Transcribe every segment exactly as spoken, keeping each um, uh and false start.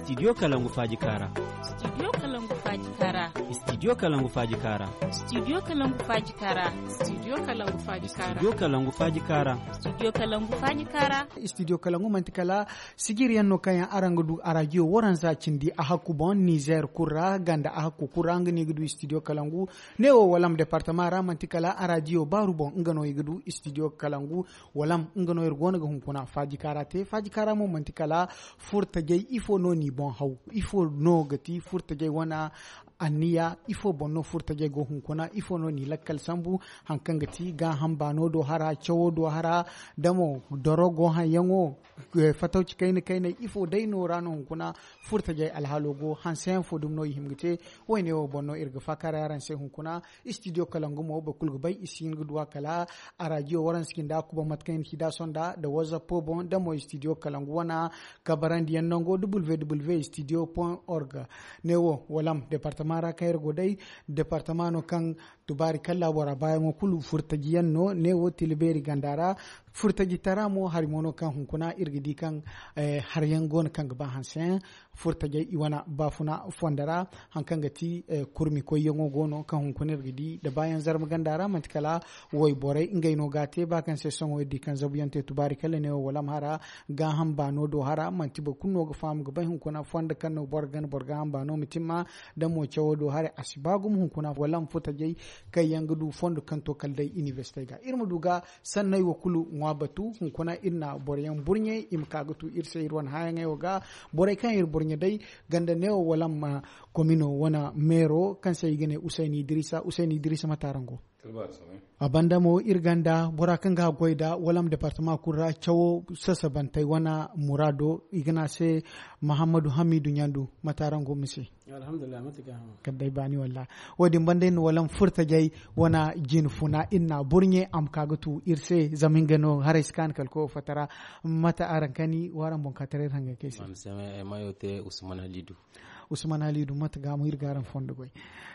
Studio Kalangu Faaji Kaara. Studio Kalangu Faaji Kaara. Studio Kalangu Faaji Kaara. Studio Kalangu Faaji Kaara. Studio Kalangu Faaji Kaara. Studio Kalangu Faaji Kaara. Studio Kalangu Faaji Kaara. Studio Kalangu manti kala sijiri yaŋ no kaŋ yaŋ araŋ ga du a rajiyo waranza cindi a hakku boŋ Nizer kulu ra ganda a hakku kulu ra nga no i ga du Studio Kalangu. Ne wo walam departama ra manti kala a rajiyo baaru boŋ nga no i ga du Studio Kalangu. Walam nga no iri go no ga hunkuna Faaji Kaara te. Faaji Kaara mo manti kala furtajey ifo no n'i boŋ haw? Ifo no ga ti furtajey wane anniya? Ifo boŋ no furtajey go hunkuna? Ifo no n'i lakkal sambu? Haŋ kaŋ ga ti gaaham baano do hara cawo do hara, da mo dorogo haŋyaŋo, fatawci kayna kayney, ifo day no ra no hunkuna furtajey alhaalo go? Hanseyaŋ fo dumi no i hima ga te. Woyne wo boŋ no iri ga faakaaray araŋ se hunkuna. Studio Kalangu mo boro kulu ga bay i si hin ga du a kala a rajiyo waranza cindi a kuba mate kaŋ i na ci da sonda nda whatsapp boŋ da mo studio Kalangu wana kabarandiyaŋ nango www studio point org. Ne wo walam departama ra kaŋ iri go day, departama no kaŋ tubaari kalla bora baayaŋo kulu furtajiyaŋ no. Ne wo tila beeri ganda ra furtajitara mo hari mo no kaŋ hunkuna iri ga di kaŋ hariyaŋ go no kaŋ ga ba hanseyaŋ furtajey i wane baafuna fondo ra. Haŋ kaŋ ga ti kurmi koyyaŋo go no kaŋ hunkuna iri ga di nda baayaŋ zarma ganda ra manti kala wayborey ngey no ga a te ba kaŋ se sohõ iri di kaŋ zabuyaŋ te tubaari kala ne wo walam hara gaaham baano do hara manti boro kulu no ga faham ga bay hunkuna fondo kaŋ no boro gana boro gaaham baano ma timma. Da mo cawo do haray a si ba gumo hunkuna walam furtajey kaŋ yaŋ ga du fondo kaŋ to kala day inibersitey ga iri ma du ga sanney wo kulu ŋwa batu hunkuna iri na boroyaŋ burɲe i ma ka ga tu iri se iri wane haayaŋey wo ga. Borey kaŋ iri burɲe day ganda neewo wala amma komino wane meero kaŋ se i ga ne usayni idrisa usayni idrisa mate araŋ go? A banda mo iri ganda bora kaŋ ga goy nda wala amma departama kulu ra cawo sasabantey wane muraado i ga ne a se mahammadu hamidu ɲandu mate araŋ go mise? Kala day baani walla wo- din banda iri na wala ma furtajey wane jinfuna iri na burɲe a ma ka ga tu iri se zama nga no haray si kaanu kala koyo fatta ra. Mate araŋ kani wo araŋ boŋ ka taray iri hangay kay se? Mayo te usman halidu. Usman halidu mate ga mo iri ga araŋ fondo goy?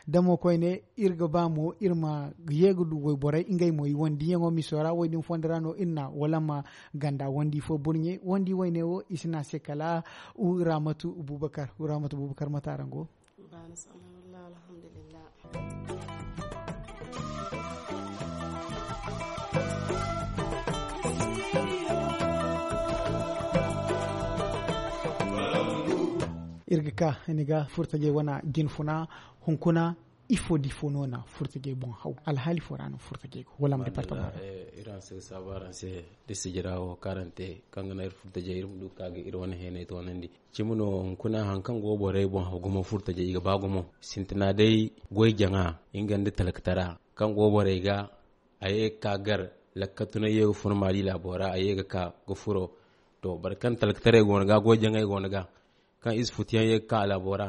Damo koyne iri ga ba mo iri ma ye ga du wayborey ngey mo i wandi yaŋo miso ra wo- din fondo ra no iri na wala ma ganda wandi fo burɲe wandi wayne wo i si ne a se kala ramatu bubakar. Ramatu bubakar mate araŋ go? Iri ga ka ni ga furtajey wane jinfuna hunkuna ifo da ifo no na furtajey boŋ haw alhaali fo ra no furtajey go wala ma departama? Iri hanse ga saabu araŋ se da sijira wo kaŋ araŋ te kaŋ ga naŋ iri furtajey iri ma du ga ka ga iri wane heeney toonandi. Cimi no hunkuna hari kaŋ go borey boŋ haw gumo furtajey i ga ba gumo sintina day goy jaŋa nga nda talkatara kaŋ go borey ga a ye ga ka gar lakkatu no ye ga furo maali laabo ra a ye ga ka ga furo. To boro kaŋ talkataray go no ga goy jaŋay go no ga kaŋ ize futuyaŋ ye ga ka a laabo ra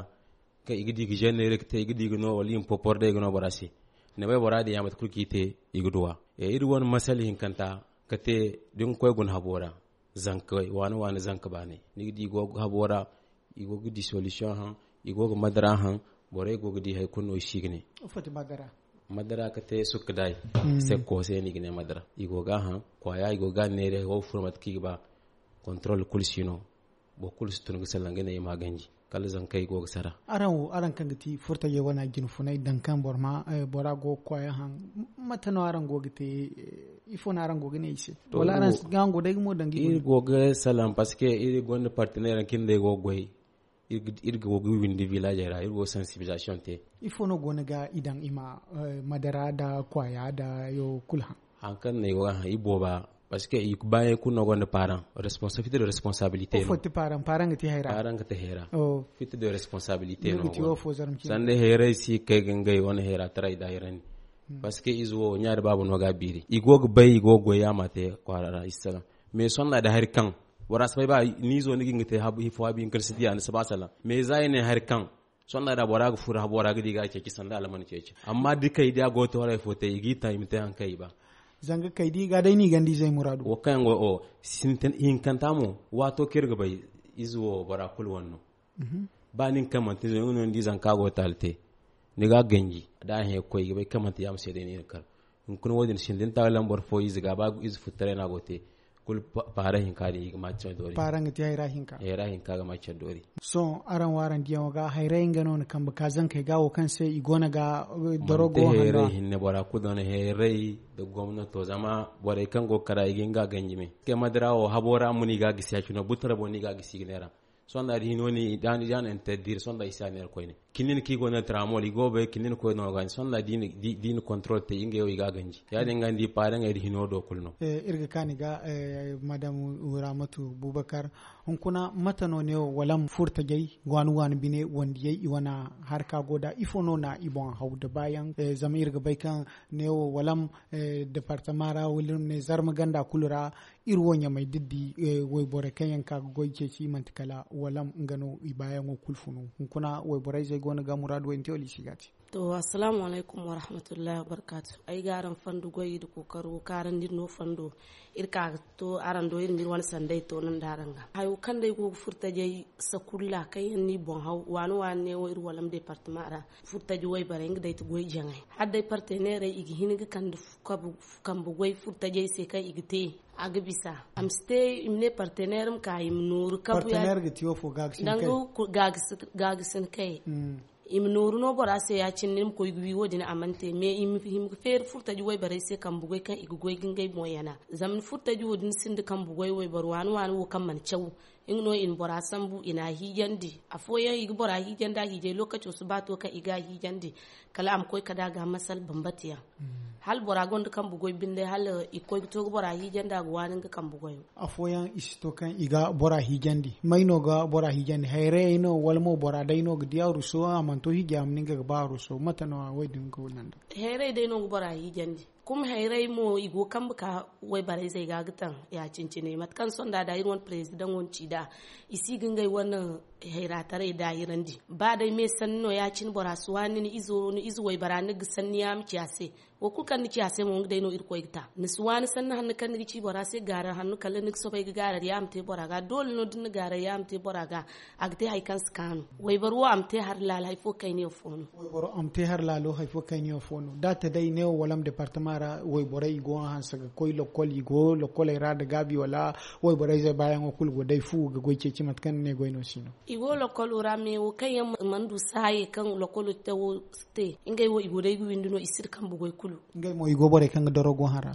kaŋ i ga di ga zenneere ga te i ga di ga no wala i ma popor day ga no bora se. Ni bay bora din ya mate kulu kaŋ i te i ga duw'a. Iri wane masala hinkanta ga te da ni ga koy guna habo ra. Zanka waani waani zanka baanay ni ga di i go ga habo ra i go ga di solution haŋ i go ga madara haŋ. Borey go ga di hari kulu no i si ga ne madara ga te sukka day. Sekko se no i ga ne madara i go ga a haŋ kwaaya i go ga a neere wo ga furo mate kaŋ i ga ba. Control kulu si no. Boro kulu si tun ga salaŋ ga ne i ma a ganji kala zankey go ga sara. Araŋ wo araŋ kaŋ ga ti furtajey wane jinfunay daŋ kaŋ boro ma bora go ga kwaaya haŋ. Mate no araŋ go ga te? Ifo no araŋ go ga ne i se wala araŋ si ga hango day ga mo daŋ ga iri go ga salaŋ parce que iri gonda partenaire yaŋ kaŋ iri nda ay go ga goy. Iri go ga windi villagey ra iri go ga sensibilisation te. Ifo no go no ga i daŋ i ma madara nda kwaaya nda yo kulu haŋ? Hari kaŋ no ay go ga haŋ i booba parce que i baayaŋ kulu no gonda paaraŋ responsabilité de responsabilité no. Paaraŋ ga te hayra. Paaraŋ ga te hayra. Fitta de responsabilité no. Sanda hayray si ga kay ga ngey wane hayra taray da hayrandi. Parce que ize wo ɲa da baaba no ga a biiri i go ga bay i go ga goy yaama te kwaara ra i si salaŋ. Mais sohõ da hari kaŋ bora si bay ba ni izo ni ga hin ga te hifo habi hinka ni si diya ni si ba salaŋ mais za i ne hari kaŋ sohõ da bora ga furo habo ra ga di ga a ceeci sanda alman ceeci. Amma da kay da a go ga te waray fo te i ga i ta i ma te hari kaŋ i ba. Zanga kay da i ga day no i ganda izey muraadu. Wo kaŋ yaŋ go wo sintin hinkanta mo waato kaŋ iri ga bay ize wo bora kulu wane no. Ba nin kaŋ manti ize no ni di zanka go ga taali te ni ga a ganji da a hẽ ga koy i ga bay kaŋ manti yaama se day no i na kar. Hunkuna wo- din sinda ni taali laŋ boro fo ize ga ba ize futtaray no a go ga te. Kulu paara hinka din i ga ma care doori. Paara nga ti hayra hinka. Hayra hinka ga ma care doori. Sohõ araŋ wo araŋ diyaŋo ga hayray nga no na kambe ka zankey ga wo kaŋ se i go no ga dorogo hanno. Hayray hinne bora kulu no na hayray da gomnato zama borey kaŋ go ga kara i ga hin ga ganji me. Kay madara wo habo ra mo no i ga gisi ya cine butara boŋ no i ga gisi ga neera. Sonda da hino ni da ni da ni interdire sonda i si a neera koyne. Kinin kaŋ i go no tramol i go bay kinin koy no ga ni sonda da i na control te ngey wo i ga ganji ya- din ga ni di paare ngey da hino do kulu no. Iri ga kaani ga madam ramatu bubakar, hunkuna mate no ne wo walam furtajey waani waani bine wandiyey i wane harka go da ifo no na i boŋ haw da baayaŋ? Zama iri ga bay kaŋ ne wo walam departama ra wala iri ma ne zarma ganda kulu ra. Iri wo ɲamay da di wayborey kaŋ yaŋ ka ga goy ceeci manti kala walam nga no i baayaŋo kulu funu. Hunkuna wayborey zey go no ga muraadu way ni te wala i si ga te? To assalamu alaykum warahmatullahi wabarkatu. Ay ga araŋ fandu goy da kookaro kaarandi no fando. Iri ka ga to araŋ do iri ma iri wane sanday to no nda araŋ ga hayo kaŋ day go ga furtajey sakulla kaŋ yaŋ no i boŋ haw waani waani ne wo iri walam departama ra. Furtaji wayborey nga day ti goy jaŋay hala day parteneerey i ga hin ga kande kambe goy furtajey se kaŋ i ga te. A ga bisa a ma si te i ma ne parteneer ma ka i ma nooru kabu yaŋ. Danga gaagasin kay i ma nooru no bora se ya- cine ni ma koy ga wi wo- din a mana te mais i ma hima ga feeri furtaji wayborey se kambe goy kaŋ i ga goy ga ngey boŋ yana. Zama ni furtaji wo- din sinda kambe goy wayboro waani waani wo kaŋ mana caw. Nga no i na bora sambu i na a hiijandi. Afooyaŋ i ga bora hiijandi a hiijay lookaco si ba to kaŋ i ga a hiijandi. Kala a ma koy kala a ga masal bambata yaŋ. Hala bora gonda kambe goy binde hala i ga koy ga to ga bora hiijandi a ga waani nga kambe goyo. Afooyaŋ i si to kaŋ i ga bora hiijandi may no ga bora hiijandi hayrayey no wala mo bora day no ga di a ruso a mana to hiijay a ma nin ga ga ba a ruso mate no a wo- din ga nanda? Hayray day no ga bora hiijandi. Kuma hayray mo i go kambe ka wayborey zey ga ga taŋ. Ya- cine cine mate kaŋ sonda da iri wane parezidaŋo na ci nd'a i si ga ngey wane hayra taray daahirandi. Ba day me sanni no ya- cine bora si waani ni ize waybora ni ga sanni ya ma ci a se. Wo kulu kaŋ ni ci a se mo nga day no irkoy ga ta ni si waani sanni hanno kaŋ ni ga ci bora se gaarar hanno kala ni ga soobay ga gaarar ya ma te bora ga doole no da ni na gaarar ya ma te bora ga. A ga te hari kaŋ si kaanu. Wayboro wo a ma te hari laalo hari fo kayna yaŋ fo no. Wayboro a ma te hari laalo hari fo kayna yaŋ fo no da a te day neewo walam departama ra wayborey i go hanse ga koy lokkol i go lokkoley ra nda gaabi wala? Wayborey zey baayaŋo kulu go day fu ga goy ceeci mate kaŋ ni ne goy no si no. I go lokkolo ra me wo kaŋ yaŋ mana du saaye kaŋ lokkolo te wo si te ngey wo i go day ga windi no i si da kambe goy kulu. Ngey mo i go borey kaŋ ga doro go hara.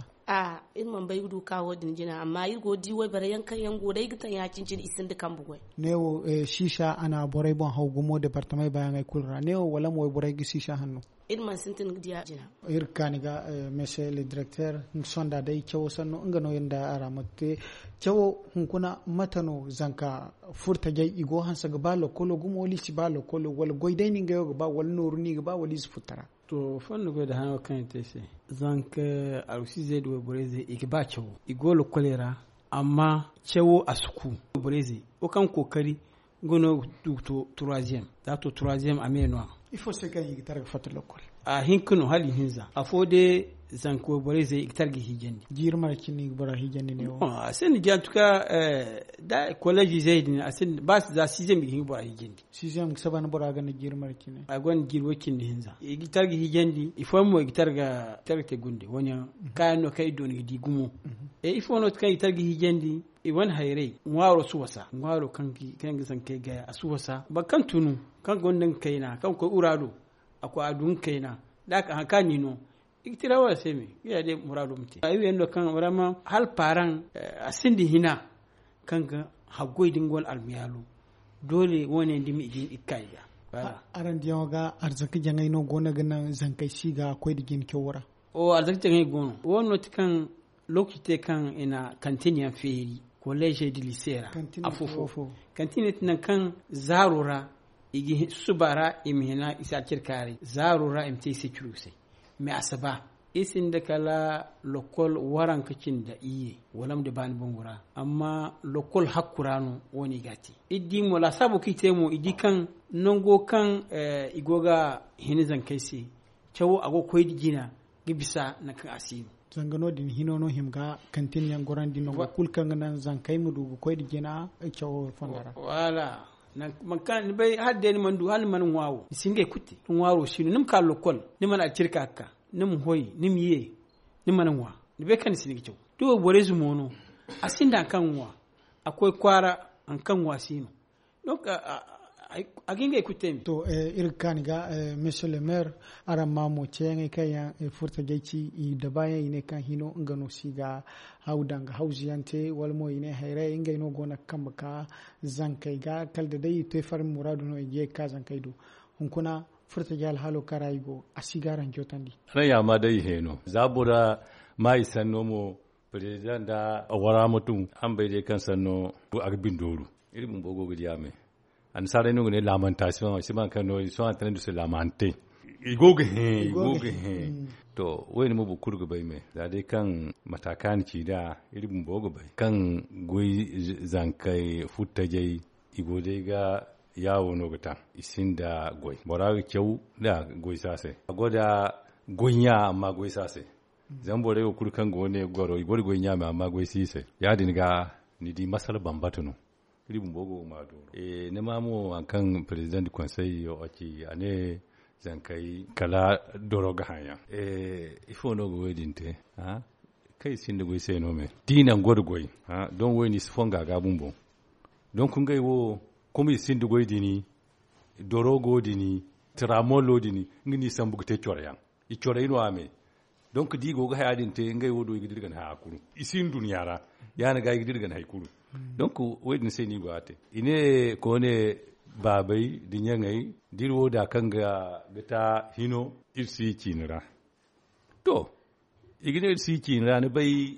Iri mana bay ga du ka wo- din jina amma iri go ga di wayborey yaŋ kaŋ yaŋ go day ga taŋ ya- cine cine i sinda kambe goy. Ne wo siisa a na borey boŋ haw gumo departamey baayaŋey kulu ra ne wo wala ma wayborey ga siisa hanno. Iri mana sintin ga di a jina. Iri ga kaani ga mese le directeur nga sonda day cawo sanno nga no iri nda a ra ma te. Cawo hunkuna mate no zanka furtajey i go hanse ga ba lokkolo gumo wala i si ba lokkolo wala goy day no ngey wo ga ba wala nooru no i ga ba wala i si furta ra? To fondo goy da hano kaŋ i te se zanka alwasiizey da wayborey zey i ga ba cawo i go lokkoley ra. Amma cawo a si ku wayborey zey wo kaŋ kookari nga no ga du ga to troisième da a to troisième a me no a. Ifo se kaŋ i ga tara ga fatta lokkol? A hinka no hala i hinza afo day. Zanka wayborey zey i ga tara ga hiijandi jiiri mara cine i ga bora hiijandi ne wo a sinda jiya tuka. Da collège zey din a sinda ba za sixième i ga hin ga bora hiijandi. Sixième ga saba ni bora ganda jiiri mara cine a gonda jiiri way cindi hinza i ga tara ga hiijandi i fooyaŋ mo i ga tara ga te gunde wane yaŋ. Kaayaŋ no kaŋ i doona ga di gumo. Ifo no kaŋ i ga tara ga hiijandi i wane hayrey ŋwaaro si wasa ŋwaaro kaŋ ga zankey gaya a si wasa boro kaŋ tunu kaŋ gonda nga kayna kaŋ ga koy ura do a koy a du nga kayna da a ka hari kaŋ a n'i no. I ga tira wala se me nga ya day muraado ma te ay wiyaŋ no kaŋ vraiment hala paaraŋ a sinda hina kaŋ ga haggoy da nga wane almayaalo. Doole wo- ne yaŋ da i ma i ga hin i ga ka i ga. Araŋ diyaŋo ga arzaka jaŋay no go no ga naŋ zankey si ga koy nda jina cawo ra? O arzaka jaŋay go no wo- no ti kaŋ lookaci te kaŋ i na kantin yaŋ feeri kolleezey nda liise ra. Afo-fo kantin ti nangu kaŋ zaaro ra i ga susuba ra i ma hina i si alcirkaaray zaaro ra i ma te i se curu se. Mais a si ba iri sinda kala lokkol waranka cindi iyye wala ma di baani bangu ra amma lokkol hakku ra no wo- ne i ga a te. Iri di mo laasaabo kaŋ i te mo i di kaŋ nango kaŋ i go ga hina zankey se cawo a go ga koy nda jina ga bisa nangu kaŋ a si no. Zanga no- din hino no hima ga kantin yaŋ gorandi nango kulu kaŋ ga naŋ zankey ma du ga koy nda jina cawo fonda ra. Wala nangu kaŋ ni bay hala day ni mana du hala ni mana ŋwa wo ni si ngey kulu te. Ŋwaaro si no ni ma ka lokkol ni mana alcirka ga ka ni ma hoy ni ma ye ni mana ŋwa. Ni bay kaŋ ni si ni ga caw da wayborey ze mo no A sinda haŋ kaŋ ŋwa, a koy kwaara, haŋ kaŋ ŋwa si no. Donc a ga ngey kulu te me. To, iri ga kaani ga, monsieur le maire, araŋ ma mo ceeyaŋey kaŋ yaŋ furtajey ci i da baayaŋ i ne kaŋ hino nga no si ga haw daŋ ga hawzu yaŋ te wala mo i ne hayray ngey no go no ga kambe ka zankey ga kala da day i te farmi muraadu no i ga ye ga ka zankey do. Hunkuna furtajey alhaalo kaŋ ra i go a si ga araŋ jootandi. Araŋ ya ma day i heeno za bora ma i sanno mo. President da wara ma tun an bay day kaŋ sanno a ga bindooru. Iri bumbo go ga di a me. Annasaarey no ga ne lamentation si man kaŋ no ils sont en train de se lamenter. I go ga hẽ i go ga hẽ. To wayne mo boro kulu ga bay me za day kaŋ mata kaŋ a na ci nd'a. Iri bumbo ga bay kaŋ goy zankey futtajey i go day ga yaawo no ga taŋ. I sinda goy bora ga caw nda goy si a se. A go da goy ɲa amma goy si a se. Zama borey wo kulu kaŋ go ne goro i go da goy ɲa me amma goy si i se. Ya- din ga ni di masala bambata no. Iri bumbo go ga ma dooro. Ni ma mo hari kaŋ president du conseil yo a ci a ne zankey kala doro ga haŋ yaŋ. Ifo no ga wo- din te? Kaŋ i sinda goy se no me da i naŋ go da goy. Don wo- din i si fonga ga bumbo. Donc ngey wo kuma i sinda goy din doro go din tramolo din nga no i sambu ga te coro yaŋ. I corey no a me. Donc da i go ga haya din te ngey wo do i ga dira ga ni haya kulu. I si nduɲɲa ra ya- din ga i ga dira ga ni hari kulu. Donc wo- din se no i go a te i ne koone baabey da ɲaŋey da iri wo da kaŋ ga ta hino iri si ciini ra. To i ga ne iri si ciini ra ni bay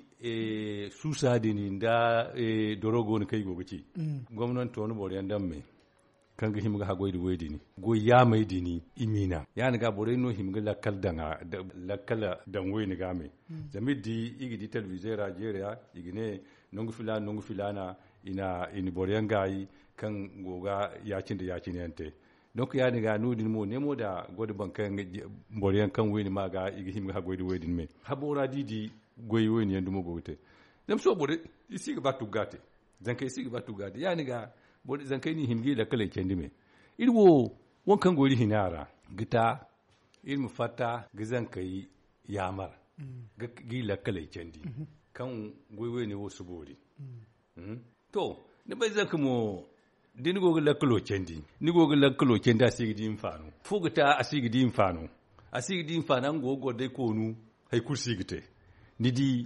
suusa din nda doro go no kaŋ i go ga ci. Gomnanto na boro yaŋ daŋ me kaŋ ga hima ga haggoy da way din goy yaamey din i m'i naŋ ya- din ga borey no hima ga lakkal daŋ a lakkal daŋ wayne ga me. Zama iri di i ga di telebize ra jeeray ra i ga ne nangu filaana nangu filaana i na boro yaŋ gaayi kaŋ go ga ya- cine da ya- cine yaŋ te. Donc ya- din ga no- din mo ne mo da go da boro yaŋ kaŋ wayne ma ga i ga hima ga haggoy da way din me habo ra da i di goy wayne yaŋ dumo go ga te. Zama sohõ borey i si ga ba tugga te. Zankey si ga ba tugga te ya- din ga zankey no i hima ga i lakkaley candi me. Iri wo waŋ kaŋ go iri hina ra ga ta iri ma fatta ga zankey yaamar ga i lakkaley candi kaŋ goy wayne wo si boori. To ni bay zanka mo da ni go ga lakkalo candi ni go ga lakkalo candi a si ga di hinfaano fo ga ta a si ga di hinfaano. A si ga di hinfaano nga go ga goro day koonu hari kulu si ga te. Ni di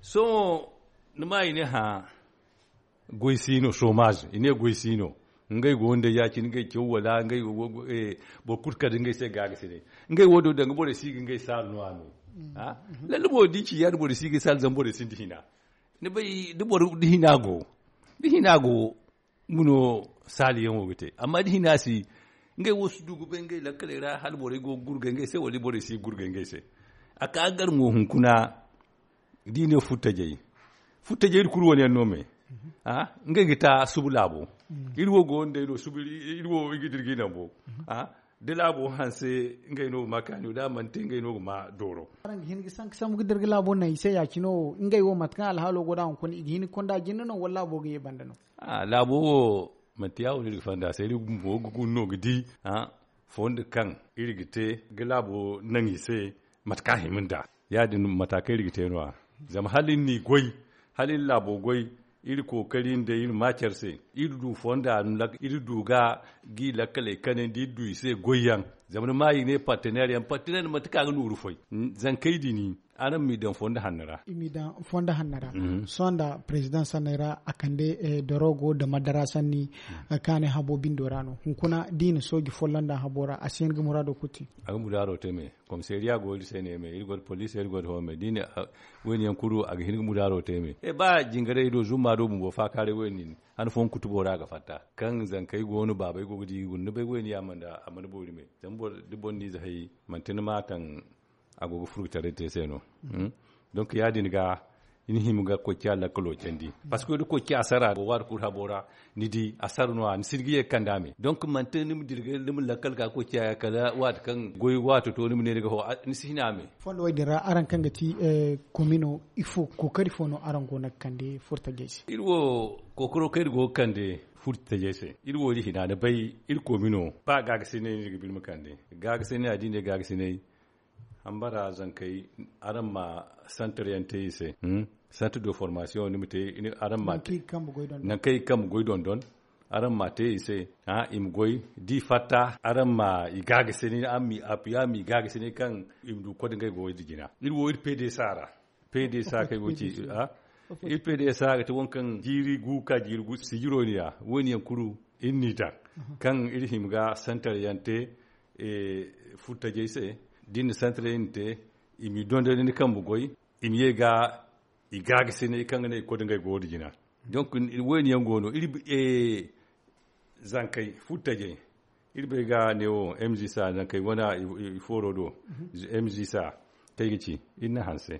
sohõ ni ma i ne hã goy si no soomaaze i ne goy si no. Ngey go nda ya- cine ngey caw wala ngey boro kulu kala da ngey se gaagasinay. Ngey wo do danga borey si ga ngey saalu no a no. Lalle mo da i ci ya- din borey si ga saalu zama borey sinda hina. Ni bay da boro da hina go da hina go nga no saaliyaŋo ga te amma da hina si ngey wo si du ga bay ngey lakkaley ra hala borey go ga gurgay ngey se wala borey si ga gurgay ngey se. A ka ga gar mo hunkuna da i ne furtajey furtajey iri kulu wane yaŋ no me. Ngey ga ta suba laabo iri wo go nda ay no suba iri wo i ga dira ga i naŋ bo. Da laabo hanse ngey no ga ma kaani da a mana te ngey no ga ma dooro. Araŋ ga hin ga sanka sambu ga dira ga laabo naŋ i se ya-cine wo ngey wo mate kaŋ alhaalo go nd'a hunkuna i ga hin ga konda jinde no wala laabo ga ye banda no? Laabo wo manti ya- wo no iri ga fanda se iri bumbo ga guna no ga di fondo kaŋ iri ga te ga laabo naŋ i se. Mate kaŋ a hima nd'a ya- din mata kaŋ iri ga te no- ya zama hala iri n'i goy hala iri laabo goy iri kookari nda iri ma care se iri du fonda iri du ga g'i lakkaley kanandi iri du i se goyyaŋ. Zama ni ma i ne partenaire yaŋ partenaire manti ka ga nooru foy. Zankey din araŋ m'i daŋ fondo hanno ra. I m'i daŋ fondo hanno ra. Sohõ nda president sanney ra a kande dorogo nda madara sanni kaŋ a ne habo bindo ra no hunkuna da i na sooji folloŋ daŋ habo ra a si hin ga muraado kulu te. A ga muraado te me. Komisariya go iri se ne me iri go nda poliisi iri go nda home da i ne wayne yaŋ kulu a ga hin ga mudaaro te me. Ba jingarey do zumma do bumbo faakaaray wayne din han fooyaŋ kutubo ra a ga fatta kaŋ zankey go no baabey go ga di i guna ni bay wayne yaŋ a mana boori me. Zama da boro n'ize hay manti ni ma taŋ a go ga furgutaray te se no. Donc ya- din ga ni hima ga koy ciya lakkalo candi. Parceque da koy ciya sara waati kulu habo ra ni di a sara no- ya ni si ga ye ga kande a me donc manti ni ma dira ga ni ma lakkal ga koy ciya kala waati kaŋ goy waato to ni ma ne ni ga ho ni si hina a me. Fondo wo- din ra araŋ kaŋ ga ti komino ifo kookari fo no araŋ go no ga kande furtajey se? Iri wo kookaro kaŋ iri go ga kande furtajey se iri wo iri hina ni bay iri komino ba gaagasinay no iri ga ba iri ma kande. Gaagasinay a da i ne gaagasinay Hambara zankey, araŋ ma santar yaŋ te i se. Santar de formasiyoŋ ni ma te. Araŋ ma te nankaŋ i kambe goy dondon. Araŋ ma te i se. I ma goy da i fatta, araŋ ma i gaagasi ne araŋ ma i apuya ma i gaagasi ne kaŋ i ma du kode ngey goy da jina. Iri wo iri pede saara. Pede sa kay go ci. Iri pede sa ga te wankaŋ jiiri gu ka jiiri gu sijiro ni ya. Wayne yaŋ kulu iri n'i daŋ kaŋ iri hima ga santar yaŋ te furtajey se. Da iri na santar yaŋ te, i m'i dondon ni kambe goy, i ma ye ga i gaagasinay kaŋ ga ne i koy da ngey goyo da jina. Donc wayne yaŋ go no iri zankey furtajey. Iri bay ga ne wo mgsa zankey wane i fooro do. Mgsa kay ga ci iri na hanse.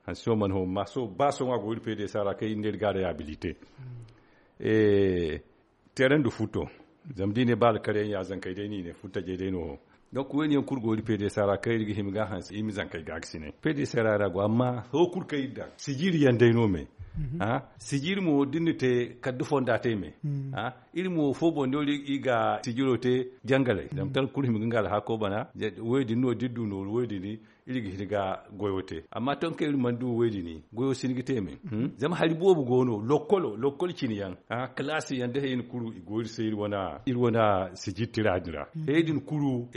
Hanse wo mana ho ma so ba sohõ a go iri pede sara kay iri ne iri ga reyabilite. Teeran da futo. Zama da i ne ba alkar yaŋ ya zankey day no i ne furtajey day no. Donc wayne yaŋ kulu go iri pede sara kaŋ iri ga hima ga hanse i ma zankey gaagasinay pede sara ra go amma ho kulu kaŋ iri daŋ sijiri yaŋ day no me. Sijiri mo da iri na te kala da fonda te me. Iri mo fo boŋ no iri ga sijiro te jangalay zama tara kulu hima ga nga alhako bana. Wayne din no da iri du nooru wayne din iri ga hin ga goyo te amma ton kaŋ iri mana du wayne din goyo si hin ga te me. Zama hari boobo go no lokkolo lokkol cine yaŋ kalaasi yaŋ da hayey na kulu i go iri se iri wane sijiri tira din ra. Hayey din kulu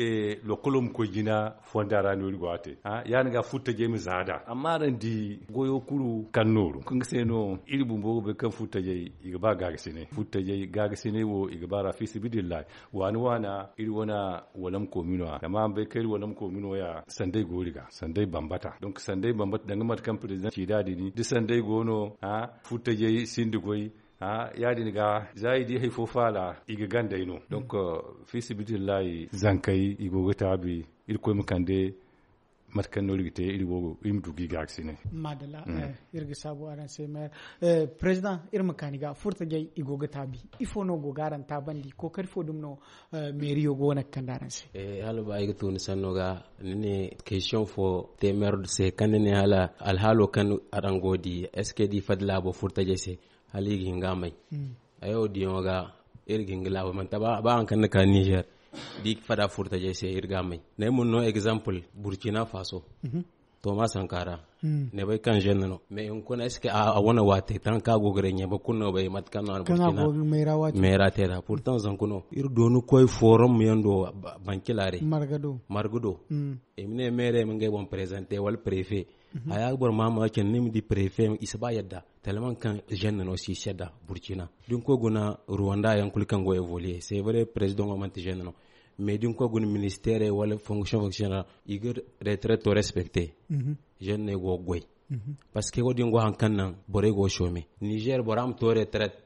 lokkolo ma koy jina fonda ra no iri go a te. Ya- din ga furtajey ma za nd'a amma araŋ di goyo kulu kaŋ nooru kaŋ ga se no iri bumbo ga bay kaŋ furtajey i ga ba gaagasinay furtajey gaagasinay wo i ga ba ra fiisabilillahi. Waana waana iri wane walam koomino ya zama araŋ bay kaŋ iri walam koomino ya sanday go iri ga sanday bambata. Donc sanday bambata danga mate kaŋ president ci nd'a din da sanday go no furtajey sinda goy. Ya- din ga za i di hari fo faala i ga gandey no. Donc fiisabilillahi zankey i go ga taabi. Irkoy ma kande mate kaŋ no iri ga te iri wo iri ma du ga i gaagasinay. Madalla. Iri ga saabu araŋ se meer. President iri ma kaani ga furtajey i go ga taabi ifo no go ga araŋ taabandi kookari fo dumi no? Meeriyo go no ga kande araŋ se. Hala ba ay ga to ni sanno ga ni ne question fo te meer se kaŋ ni ne hala alhaalo kaŋ araŋ go di est-ce que da i fadda laabo furtajey se hala i ga hin ga a may? Ay wo diyaŋo ga iri ga hin ga laabo manti ba hari kaŋ ni ka niger da i fada furtajey se iri ga a may. Naymuna no exemple burkina faso. Toma sankara ne bay kaŋ jeune no mais hunkuna est-ce que a wane waate tan kaŋ a go ga reɲe ba kulu no bay mate kaŋ no a na burkina meera te da pourtant zanku no iri dooni koy forum yaŋ do bankilare marga do. I ma ne meere ma ngey boŋ présenter wala préfet. Haya ga boro ma ma cine ni ma di préfet i si ba yadda tellement kaŋ jeune no si si yadda burkina da ni koy guna rwanda yaŋ kulu kaŋ go évoluer c'est vrai président wo manti jeune no. Mais da ni koy guna ministère wala fonction fonctionnaire i ga retraite to respecter. Jeune no ay go ga goy parce que wo- din go hari kaŋ naŋ borey go ga chômer niger bora ma to retraite.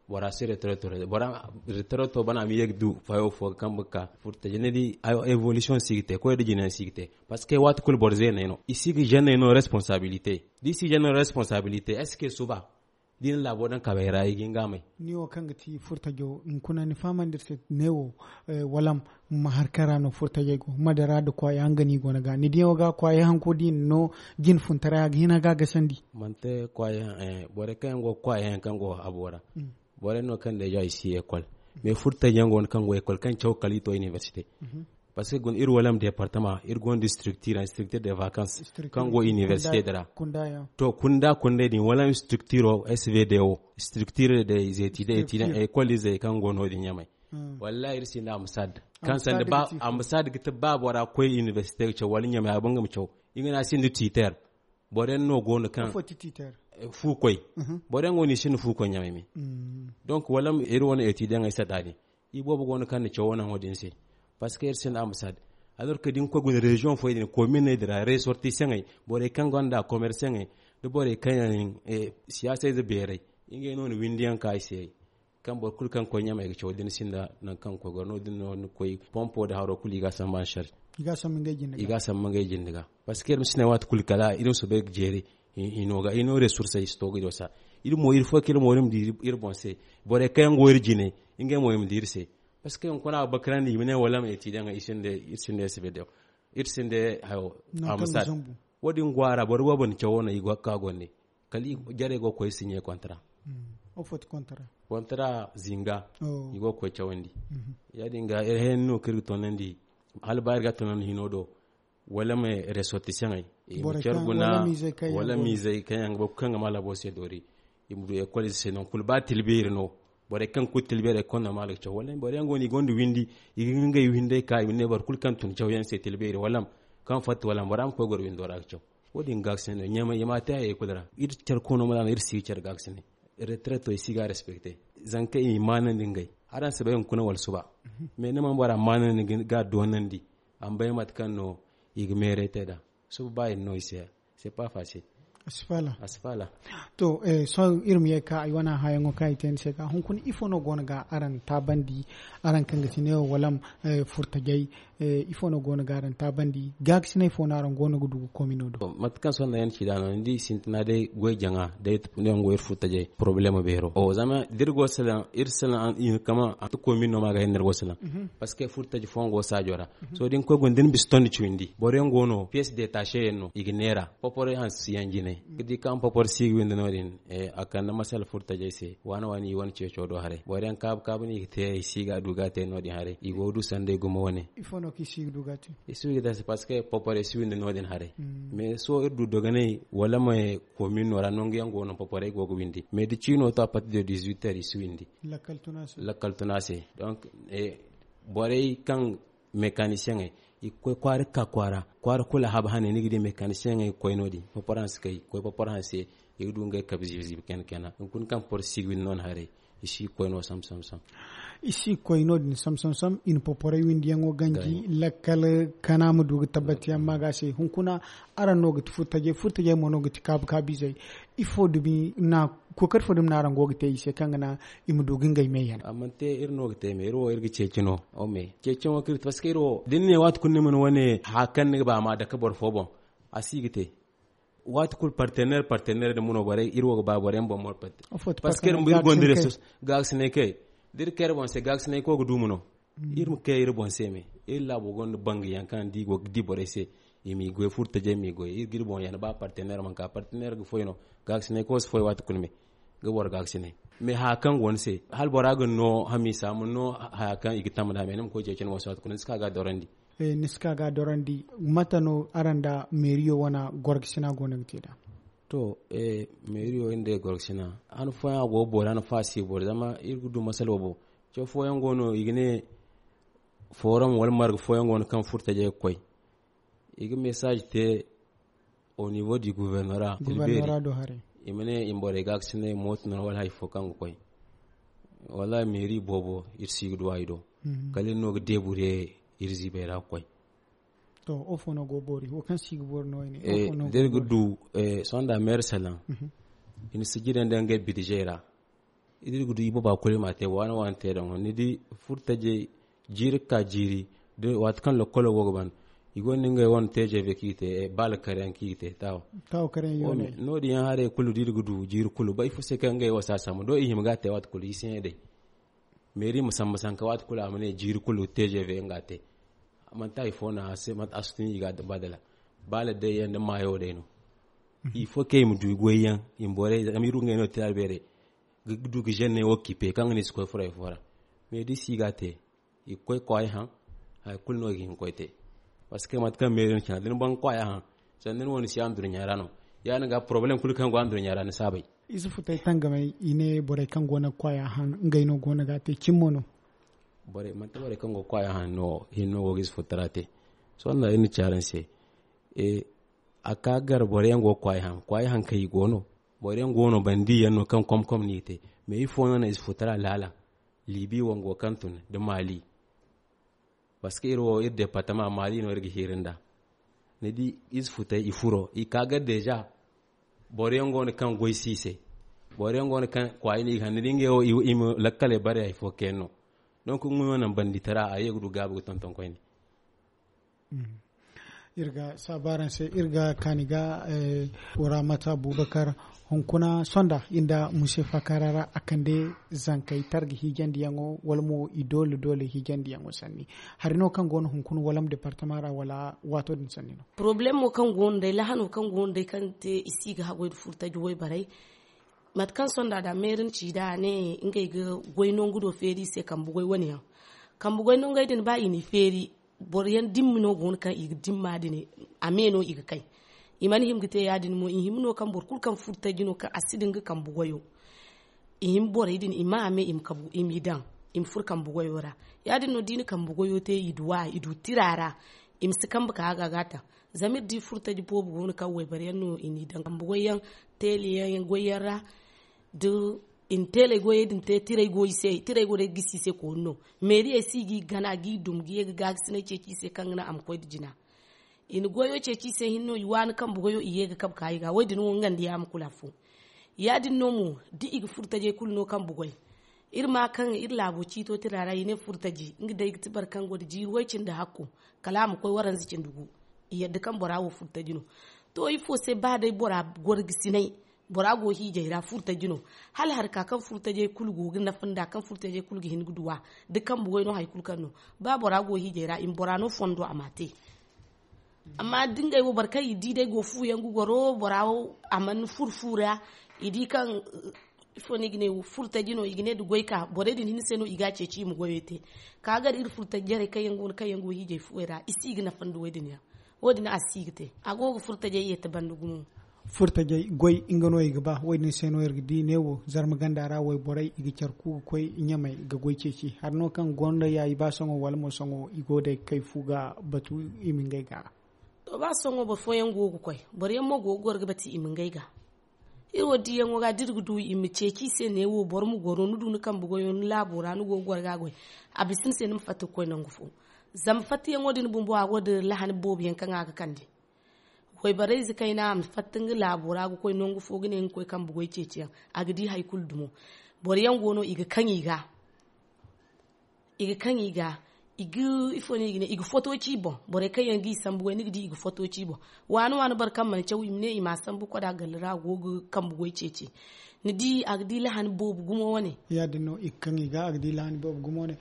Bora si retraite to bora retraite to bana a ma ye ga du fayo fo ga kambe ga ka furta jine di évolution si ga te koy da jine si ga te. Parce que waati kulu boro zeeney no i si ga jeune no responsabilité da i si jeune no responsabilité est ce que suba da i na laabo daŋ kabay ra i ga hin ga a may. Ni wo kaŋ ga ti furtajo hunkuna ni fahamandi iri se ne wo walam ma hari kaŋ ra no furtajey go mate ra nda kwaayaŋ nga no i go no ga ni diyaŋo ga kwaayaŋ hanko da i na no jine funtaray a ga hin a ga a gasandi. Manti kwaayaŋ borey kaŋ yaŋ go ga kwaayaŋ yaŋ kaŋ go habo ra borey no kaŋ deja i si école mais furtajey yaŋ go no kaŋ go école kaŋ caw kala i to université. Parce que guna iri wala ma département iri gonda structure structure de vacances kaŋ go université din ra. To kunda kundey din wala structure o svd o structure de étudiants école izey kaŋ go no- din ɲamay. Wallahi iri sinda ambassade kaŋ sanda ba ambassade ga ti ba bora koy université ga caw wala ɲamay a banga ma caw. I ga ne a sinda tiiter. Boro yaŋ no go no kaŋ fu koy. Boro yaŋ go no i sinda fu koy ɲamay me. Donc wala iri wane étudiant ay sanda din i boobo go no kaŋ na cawo naŋo din se. Parce que iri sinda ambassade alors que da ni koy guna région foy din commune din ra ressortissantey borey kaŋ gonda commerçantey da borey kaŋ yaŋ siyaasayze beerey ngey no na windiyaŋ ka i se. Kaŋ boro kulu kaŋ koy ɲamay ga caw da ni sinda nangu kaŋ koy goro no- din no ni koy pompo nda haro kulu i ga a samba en charge. I ga a samba ngey jinde ga parce que iri ma si ne waati kulu kala iri ma soobay ga jeeri. Hino ga hino ressources i si to ga i do sa iri mo iri fo kaŋ iri mo iri ma di iri boŋ se borey kaŋ yaŋ go iri jine ngey mo i ma di iri se. Parce que hunkuna a ga bakarandi i ma ne wala ma étudiant iri sinda iri sinda sbd iri sinda hayo. Ambassade wo- din go a ra boro boobo na cawo no i go ga ka gonda kala jarey go ga koy signé contrat. Contrat zinga i go ga koy cawandi. Ya- din ga iri hayey no kaŋ iri ga toonandi hala ba iri ga a toonandi hino do. wala ma resortisaŋey, i ma care guna, wala miizey kaŋ yaŋ ga ba kaŋ ga ma laabo se doori. I ma du ekol ize se nangu kulu ba tilbeeri no. Borey kaŋ kulu tilbeeri ekol no ma a ga caw wala borey yaŋ go no i gonda windi. I ga ngey windey ka i ma ne boro kulu kaŋ tun cawyaŋ se tilbeeri wala kaŋ fatta wala bora ma koy goro windo ra ga caw. Wo- din ga ga se no ɲamay i ma a te hayey kulu ra. Iri care koono ma daana iri si ga care ga ga se ne. Retreto i si ga a respekte. Zanka i ma i maanandi ngey. Araŋ si bay hunkuna wala suba. Mais ni mana bora maanandi ga a doonandi. A ma bay mate kaŋ no i ga meeray te nd'a. Suba ba i na no i se. C'est pas facile. A si faala. A si faala. To, sohõ iri ma ye ka ay wane hayaŋo kaŋ ay te ni se ka hunkuna ifo no go no ga araŋ taabandi? Araŋ kaŋ ga ti neewo wala furtajey, ifo no go no ga araŋ taabandi? Gaakasinay fo no araŋ go no ga du ga komino do? Mate kaŋ sohõ day yaŋ ci da no ni di sintina day goy jaŋa day neewo go iri furtajey problème beero o zama da iri go salaŋ iri salaŋ kama a ti komin no ma ga hin no iri go salaŋ. Parce que furtaji fooyaŋ go saajo ra. Sohõ da ni koy guna da ni bisa tondi cawindi boro yaŋ go no pièce détachée yaŋ no i ga neera. Poporay hanse si yaŋ jine ga di kaŋ popor si ga windi no- din. A kande masala furtajey se waana waana i wane ceeco do haray boro yaŋ kaabu kaabu no i ga te i si ga du ga te no- din haray i go ga du sanday gumo wane. Ifo no kaŋ i si ga du ga te? I si ga du ga te parce que poporay si windi no- din haray. Mais sohõ iri du dogonay wala ma komin no ra nangu yaŋ go no poporay go ga windi mais da ciino to a partir de dix-huit heures i si windi. Lakkal tuna se. Donc borey kaŋ mécanicieney i ga koy kwaara ga ka kwaara kwaara kulu a haba hane ni ga di mécanicieney ga koy no- din poporanse kay ga koy poporanse i ga du ngey kabe ziibi ziibi kayna kayna hunkuna kaŋ poro si ga windi no- din haray. I si ga koy no sam sam sam. I si ga koy no- din sam sam sam i na poporay windiyaŋo ganji lakkal kana ma du ga tabbati yaŋ ma ga se hunkuna. Araŋ no ga ti furtajey furtajey mo no ga ti kaabu kaabu izey. Ifo dumi na kookari fo dumi no araŋ go ga te i se kaŋ ga naŋ i ma du ga ngey me yaŋ? A mana te iri no ga te me iri wo iri ga ceeci no. Ome ceeci no kaŋ iri te parce que iri wo da ni ne waati kulu ni mana wane haya kaŋ ni ga ba a ma dake boro fo boŋ. A si ga te waati kulu partenaire partenaire da muno borey iri wo ga ba boro yaŋ boŋ moro partenaire. Parce que iri gonda resource gaakasinay kay da iri kay iri boŋ se gaakasinay koy ga duuma no. Iri ma kay iri boŋ se me iri laabo gonda bangu yaŋ kaŋ da i go ga di borey se. I m'i goy furtajey m'i goy iri ga iri boŋ yaŋ ba partenaire mana ka partenaire ga foy no. Gaakasinay koy si foy waati kulu me ga boro gaakasinay. Mais haya kaŋ go ni se hala bora ga ni no hamiisa ma ni no haya kaŋ i ga tamba nd'a mais ni ma koy ceeci ni boŋ se waati kulu ni si ka ga a dorandi. Ni si ka ga a dorandi. Mate no araŋ nda meeriyo wane gorgasina go no ga te nd'a? To meeriyo iri nda gorgasina han fooyaŋ a go ga boori han fooyaŋ a si ga boori zama iri ga du masala boobo. Ce fooyaŋ go no i ga ne forum wala marga fooyaŋ go no kaŋ furtajey ga koy i ga message te au niveau du gouvernora tilbeeri. I ma ne i ma borey gaakasinay mooto no wala hari fo kaŋ ga koy wallaahi meeri boobo iri si ga duw'a i do. Kala iri no ga deebure iri ziibey ra ga koy. To wo fo no go boori wo kaŋ si ga boori no i ne? Da iri ga du sohõ nda meeri salaŋ i na sijira nda ngey bidizey ra. Da iri ga du i booba kulu i m'a te waana waana te daŋ ni di furtajey jiiri ga ka jiiri. Waati kaŋ lokkolo go ga ban i gonda ngey wane tgv kaŋ i ga te baala kare yaŋ kaŋ i ga te taawo. Taawo kare yaŋ yooney no- din yaŋ haray kulu da iri ga du jiiri kulu ba ifo se kaŋ ngey wo si a sambu do i hima ga a te waati kulu i si ne day. Meeri ma sambu sanka waati kulu a ma ne jiiri kulu tgv nga a te. Manti hari fo no a si tun i ga a ba dala baala day yaŋ nda maayo day no. Ifo kaŋ i ma du i goy yaŋ i ma borey zama iri wo ngey no tira beeray ga du ga zenney wo kiipe kaŋ ga ne i si koy furay fo ra. Mais da i si ga a te i ga koy kwaaya haŋ. Hari kulu no i ga hin ga koy te. Parce que mate kaŋ meeri no cina da ni ban ga kwaaya haŋ sanda ni wo ni si andurɲa ra no. Ya- din ga porobalem kulu kaŋ go andurɲa ra ni si a bay. Ize futey tangamey i ne borey kaŋ go no ga kwaaya haŋ ngey no go no ga a te cimmo no. Borey manti borey kaŋ go ga kwaaya haŋ no hinne no go ga ize futara te. Sohõ da iri na ci araŋ se a ka gar boro yaŋ go ga kwaay haŋ kwaay haŋ kaŋ i go no. Boro yaŋ go no bandi yaŋ no kaŋ komkom no i te. Mais ifo no na ize futara laala libi wango kaŋ tun nda mali. Parce que iri wo iri departement mali no iri ga hiiri nda ni di ize futay i furo i ka gar deja. Boro yaŋ go no kaŋ goy si i se. Boro yaŋ go no kaŋ kwaay no i ga haŋ ni di ngey wo i ma lakkaley bare hari fo kaŋ yaŋ no. Donc nga no naŋ bandi tara a ye ga du gaabi ga tonton koyne. Iri ga saabu araŋ se iri ga kaani ga wara mata bubakar hunkuna sonda iri nda musefa kaara ra a kande zankey targa hiijandiyaŋo wala mo i doole doole hiijandiyaŋo sanni. Hari no kaŋ go no hunkuna wala ma departama ra wala waato din sanni no? Porobalemo kaŋ go no day lahano kaŋ go no day kaŋ te i si ga haggoy nda furtaji wayborey. Mate kaŋ sonda da meeri na ci da a ne ngey ga goy nangu do feeri i se kambe goy wane yaŋ. Kambe goy nangey din ba i n'i feeri Boro yaŋ dimma no go no kaŋ i ga dimma din, a me no i ga kay. I mana hima ga te ya- din mo, i hima no kaŋ boro kulu kaŋ furo taji no kaŋ a si din ga kambe goyo. I hima borey din i ma a me i ma kabu i m'i daŋ, i ma furo kambe goyo ra. Ya- din no da i na kambe goyo te i du a i du tira ra. I ma si kambe ka a ga a ga a taŋ. Zama iri di furo taji boobo go no kaŋ wayboro yaŋ no i n'i daŋ kambe goy yaŋ, teele yaŋ goy yaŋ ra. Da i na teeley goyey din te tirey go i se, tirey go day ga gisi i se koonu no. Meeriyey si i g'i gana g'i dum ga ye ga gaakasinay ceeci i se kaŋ ga naŋ a ma koy nda jina. I na goyo ceeci i se hinne no i waani kambe goyo i ye ga kabe ka i ga wo- din wo nga nda yaama kulu afo. Ya- din no mo da i ga furo tajey kulu no kambe goy. Iri ma kaŋ iri laabo ciito tira ra i ne furo taji nga day ga ti boro kaŋ go nda jiiri way cindi hakko, kala a ma koy waranza cindi gu. I yadda kaŋ bora wo furo taji no. To ifo se ba day bora gorgisinay, bora go hiijay ra furo taji no. Hala hari ka kaŋ furo tajey kulu go ga nafa nda kaŋ furo tajey kulu ga hin ga duwa, da kambe goy no hari kulu kaŋ no. Ba bora go hiijay ra i ma bora no fondo a ma a te. Amma da ngey wo boro kaŋ i di day go fu yaŋ ga goro bora wo a mana furo fu ra. I di kaŋ ifo no i ga ne furo taji no i ga ne da goy ka borey din hinne se no i ga a ceeci i ma goyey te. Ka gar iri furo taji jarey kaŋ yaŋ go no kaŋ yaŋ go hiijay fuwey ra i si ga nafa nda wo- din yaŋ. Wo- din a si ga te a go ga furo tajey yeete banda gumo. Furo tajey goy nga no i ga ba wo- din se no iri ga di neewo zarma ganda ra wayborey i ga care ku ga koy ɲamey ga goy ceeci hari no kaŋ gonda ya i ba sohõ wala mo sohõ i go day ga kay fu ga batu i ma ngey ga. To ba sohõ boro fooyaŋ go ga koy boro yaŋ mo go ga goro ga bati i ma ngey ga. Iri wo diyaŋo ga da iri ga du i ma ceeci i se neewo boro ma goro ni du ni kambe goyo ni laabo ra ni go ga goro ga goy. A bisa ni se ni ma fatta ga koy nangu fo. Zama fattayaŋo din bumbo a go nda lahani boobo yaŋ kaŋ a ga kande. Wayborey ze kayna a ma fatta nga laabo ra ga koy nangu fo ga ne nga koy kambe goy ceeciyaŋ. A ga di hari kulu dumo. Boro yaŋ go no i ga kaŋ i ga i ga kaŋ i ga i ga ifo no i ga ne i ga foto ci i boŋ. Borey kaŋ yaŋ ga i sambu goy ni ga di i ga foto ci i boŋ. Waani waani boro kaŋ mana caw i ma ne i ma a sambu koda galle ra a go ga kambe goy ceeci. Ni di a ga di lahani boobo gumo wane. Ya- din no i ga kaŋ i ga a ga di lahani boobo gumo wane.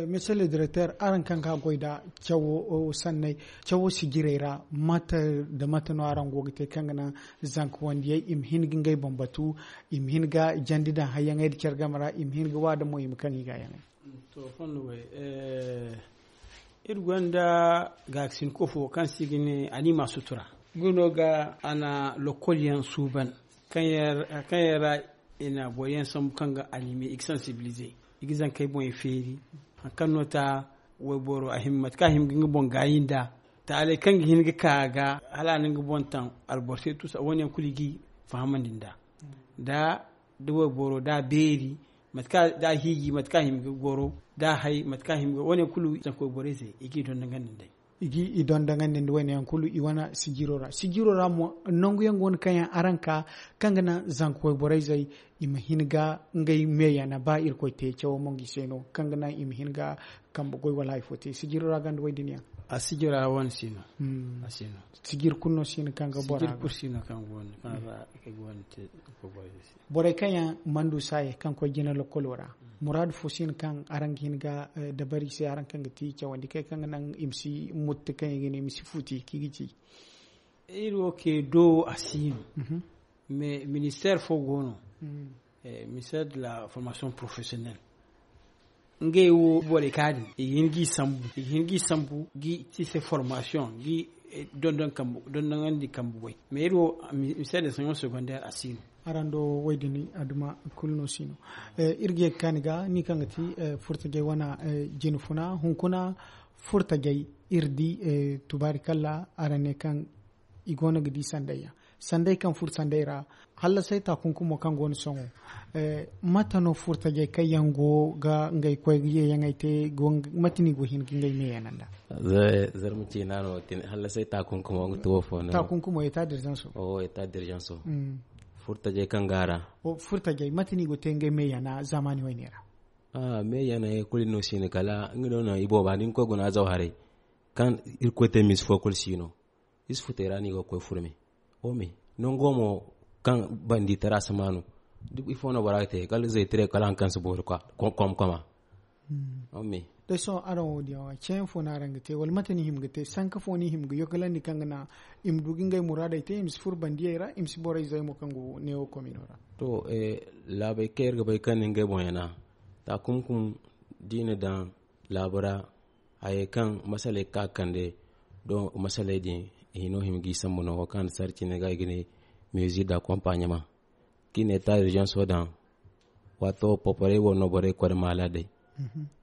Monsieur le directeur araŋ kaŋ ga goy nda cawo sanney cawo sijirey ra mate nda mate no araŋ go ga te kaŋ ga naŋ zanka wandiyey i ma hin ga ngey boŋ batu i ma hin ga jandi daŋ hayyaŋey nda care game ra i ma hin ga waada mo i ma kaŋ i ga yaŋey. To fondo way iri gonda gaakasin ko fo kaŋ se i ga ne anima sutura. Nga no ga a na lokol yaŋ suuban kaŋ yaŋ ra i na boro yaŋ sambu kaŋ ga anime i ga sensibilize i ga zankey boŋey feeri. Hari kaŋ no ta wayboro a hima mate kaŋ a hima ga nga boŋ gaayi nda taaley kaŋ ga hin ga ka a ga hala a na nga boŋ taŋ alboro se tuusa wo- ne yaŋ kulu i ga i fahamandi nd'a. Da da wayboro da beeri mate kaŋ da a hiiji mate kaŋ a hima ga goro da a hay mate kaŋ a hima ga wo- ne yaŋ kulu zanka wayborey se i ga i dondonandi nd'ey. I ga i dondonandi nda wo- ne yaŋ kulu i wane sijiro ra sijiro ra mo nangu yaŋ go no kaŋ yaŋ araŋ ka kaŋ ga naŋ zanka wayborey zey i ma hin ga ngey meeyana ba irkoy te cawo mo nga i se no kaŋ ga naŋ i ma hin ga kambe goy wala hari fo te sijiro ra ganda way din yaŋ. A sijiro ra wane si no. A si no. Sijiri kulu no si no kaŋ ga bora sijiri kulu si no kaŋ go no kaŋ ra ga go no te. Borey kaŋ yaŋ mandu saaye kaŋ koy jina lokolo ra muraadu fo si no kaŋ araŋ ga hin ga dabari se araŋ kaŋ ga ti cawandi kay kaŋ ga naŋ i ma si mutti kaŋ i ga ne i ma si futi kaŋ i ga ci. Iri wo ke do a si no. Mais ministère fo go no. Ministère de la formation professionnelle. Ngey wo borey ka din i ga hin g'i sambu i ga hin g'i sambu g'i ti se formation g'i dondon kambu dondonandi kambu goy. Mais iri wo mise de sanyon secondaire a si no. Araŋ do woy din aduma kulu no si no. Iri ga ye ga kaani ga ni kaŋ ga ti furtajey wana jine funa hunkuna furtajey iri di tubaari kalla araŋ ne kaŋ i go no ga di sanday yaŋ sanday kaŋ furo sanday ra. Hallasay taakunkumo kaŋ go no sohõ mate no furtajey kaŋ yaŋ go ga ngey koy ga yeeyaŋey te mate no i go hin ga ngey meeyana nda? Zarma ciina no hallasay taakunkumo nga tuwo fo no taakunkumo eta dirjanso. Eta dirjanso furtajey kaŋ ga a ra. Furtajey mate no i go te ngey meeyana zaamaani wayne ra? Meeyaney kulu no si no kala nga no no i booba da ni koy guna zaw haray kaŋ irkoy te misi fo kulu si no. Isufu te ra no i ga koy furme. Ome nango mo kaŋ bandi tara si maanu ifo no bora ga te kala zaytire kala hari kaŋ si boori kwa. Komkoma. Ome day sohõ araŋ wo diyaŋ wa ceeyaŋ fo no araŋ ga te wala mate no i hima ga te sanka fo no i hima ga yogalandi kaŋ ga naŋ i ma du ga ngey muraadey te i ma si furo bandiyey ra i ma si borey zay mo kaŋ go neewo komino ra. To laabey kaŋ iri ga bay kaŋ ni ngey boŋ yana taakumkum da i na daŋ laabu ra. a ye kaŋ masaley ka kande. Don masaley din i hino hima g'i sambu no wo kaŋ a na sarci ne ga i ga ne music da accompagnement. Kaŋ i ne ta urgence wo daŋ waato poporey wo no borey koy da maalaadey.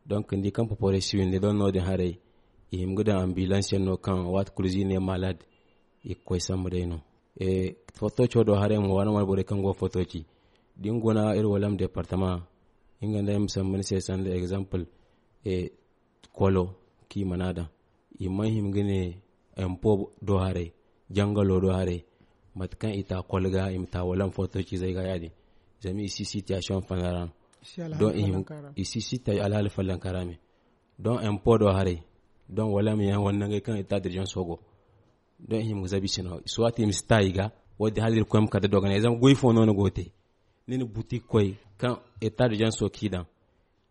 Donc ni di kaŋ poporey si windi don no- din haray i hima ga daŋ ambulance yaŋ no kaŋ waati kulu z'i ne maalaad i ga koy sambu day no. Fotoco do haray mo waana wane borey kaŋ go fotoci da ni guna iri walam departement nga nda ay ma sambu ni se sanda exemple kolo kaŋ i mana daŋ i mana hima ga ne empo do haray jangalo do haray mate kaŋ i ta kolo ga i ma ta walam fotoci zay ga ya- din zama i si situation fana ra no. Don i si si ta alhaali fallanka ra me don empo do haray don walam yaŋ wala nangey kaŋ i ta dirjan sogo don i hima ga zabi sino suwati i ma si ta i ga. Wo- din hala iri koy ma kala da dogonay zama goy fo no ni go te ni na buti koy kaŋ eta da janso kaŋ i daŋ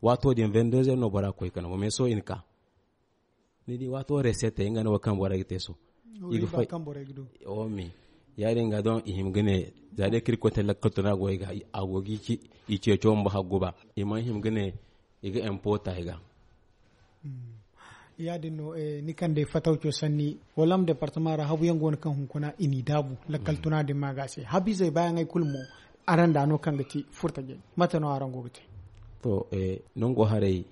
waato din vingt-deux heures no bora koy kano mo mais sohõ i na ka ni di waato resete nga no wo kaŋ borey ga te sohõ i ga fay. Omi ya- din ga don i hima ga ne za day kaŋ iri koy te lakkal tuna goy ga a go ga i ceeco mba haggu ba i mana hima ga ne i ga empo ta i ga. Ya- din no ni kaŋ day fatawco sanni walam departement ra habu yaŋ go no kaŋ hunkuna i n'i daabu lakkal tuna din ma ga a se habu izey baayaŋey kulu mo. Araŋ da no kaŋ ga ti furtajey mate no araŋ go ga te? To nango haray